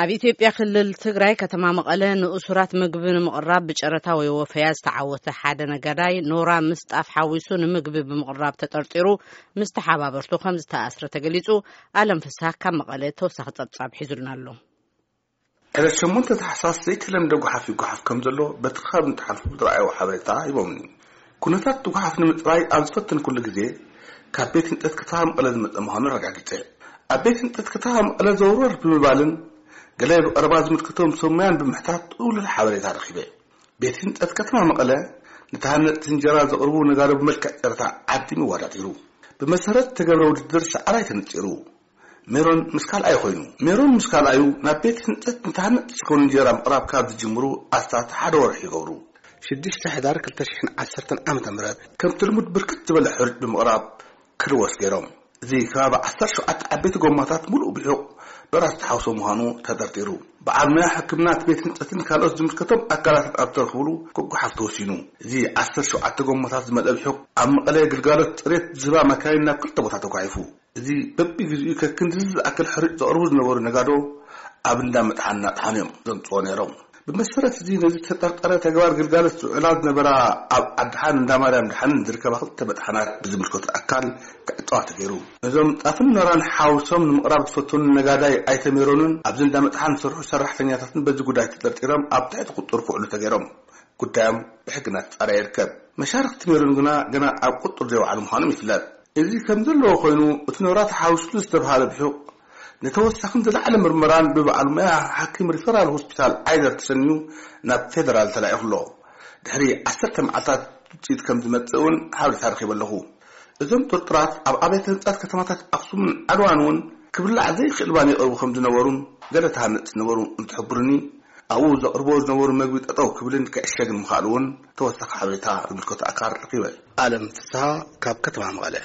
ኣብ ኢትዮጵያ ክልል ትግራይ ከተማ መቐለ ንእሱራት ምግቢ ንምቕራብ ብጨረታ ወይ ወፈያ ዝተዓወተ ሓደ ነጋዳይ ኖራ ምስ ጣፍ ሓዊሱ ንምግቢ ብምቕራብ ተጠርጢሩ ምስ ተሓባበርቱ ከም ዝተኣስረ ተገሊጹ። ኣለም ፍስሃ ካብ መቐለ ተወሳኺ ጸብጻብ ሒዙልና ኣሎ። ዕለት ሸሞንተ ታሕሳስ ዘይተለምደ ጓሓፍ ይጓሓፍ ከም ዘሎ በቲ ከባቢ እንትሓልፉ ዝረኣዩ ሓበሬታ ሂቦምኒ። ኩነታት እቲ ጓሓፍ ንምፅራይ ኣብ ዝፈተንኩሉ ግዜ ካብ ቤት ህንፀት ከተማ መቐለ ዝመፀ ምዃኑ ኣረጋጊፀ። ኣብ ቤት ህንፀት ከተማ መቐለ ዘውረር ብምባልን ገለ ብቐረባ ዝምልከቶም ሰብ ሞያን ብምሕታት ጥውሉል ሓበሬታ ረኺበ። ቤት ህንፀት ከተማ መቐለ ንተሃነፅቲ እንጀራ ዘቕርቡ ነጋዶ ብመልክዕ ጨረታ ዓዲሙ ይወዳደሩ። ብመሰረት ተገብረ ውድድር ሰዓራይ ተነፂሩ። ሜሮን ምስ ካልኣዩ ኮይኑ። ሜሮን ምስ ካልኣዩ ናብ ቤት ህንፀት ንተሃነፅቲ ዝኾኑ እንጀራ ምቕራብ ካብ ዝጅምሩ ኣስታት ሓደ ወርሒ ይገብሩ። ሽዱሽተ ሕዳር ክልተ ሽሕን ዓሰርተን ዓመተ ምህረት ከምቲ ልሙድ ብርክት ዝበለ ሕሩጭ ብምቕራብ ክልወስ ገይሮም። እዚ ከባቢ ዓሰርተ ሸውዓተ ዓበይቲ ጎማታት ሙሉእ ብሑቕ ዶራ ዝተሓውሶ ምዃኑ ተጠርጢሩ። በዓል ሞያ ሕክምና እቲ ቤት ህንፀትን ካልኦት ዝምልከቶም ኣካላትን ኣብ ተረኽብሉ ክጓሓፍ ተወሲኑ። እዚ ዓሰርተ ሸውዓተ ጎማታት ዝመልአ ብሑቕ ኣብ መቐለ ግልጋሎት ፅሬት ዝህባ መካይን ናብ ክልተ ቦታ ተጓሒፉ። እዚ በቢግዚኡ ከክንድዚ ዝኣክል ሕሩጭ ዘቕርቡ ዝነበሩ ነጋዶ ኣብ እንዳ መጥሓን እናጥሓኑ እዮም ዘምፅዎ ነይሮም። ብመሰረት እዚ ነዚ ተጠርጠረ ተግባር ግልጋሎት ዝውዕላ ዝነበራ ኣብ ዓድሓን እንዳ ማርያም ድሓንን ዝርከባ ክልተ መጥሓናት ብዝምልከቶ ኣካል ክዕፀዋ ተገይሩ። ነዞም ጣፍን ኖራን ሓውሶም ንምቕራብ ዝፈተኑ ነጋዳይ ኣይተ ሜሮንን ኣብዚ እንዳ መጥሓን ዝሰርሑ ሰራሕተኛታትን በዚ ጉዳይ ተጠርጢሮም ኣብ ትሕቲ ቁፅር ክውዕሉ ተገይሮም። ጉዳዮም ብሕጊ እናተፃረየ ይርከብ። መሻርክቲ ሜሮን ግና ገና ኣብ ቁፅር ዘይወዓሉ ምዃኖም ይፍለጥ። እዚ ከም ዘለዎ ኮይኑ እቲ ኖራ ተሓዊስሉ ዝተብሃለ ብሑቕ ንተወሳኺን ዝለዓለ ምርመራን ብበዓል ሞያ ሓኪም ሪፈራል ሆስፒታል ዓይደር ተሰንዩ ናብ ፌደራል ተላኢኹ ኣሎ። ድሕሪ ዓሰርተ መዓልታት ውፅኢት ከም ዝመፅእ እውን ሓበሬታ ረኺበ ኣለኹ። እዞም ጥርጡራት ኣብ ኣብያተ ህንፃት ከተማታት ኣኽሱምን ዓድዋን እውን ክብላዕ ዘይኽእል ባኒ ይቐርቡ ከም ዝነበሩን ገለ ተሃነፅቲ ዝነበሩ እንትሕብሩኒ ኣብኡ ዘቕርብዎ ዝነበሩ መግቢ ጠጠው ክብልን ክዕሸግን ምኽኣሉ እውን ተወሳኺ ሓበሬታ ዝምልከቶ ኣካል ረኺበ። ኣለም ፍስሃ ካብ ከተማ መቐለ።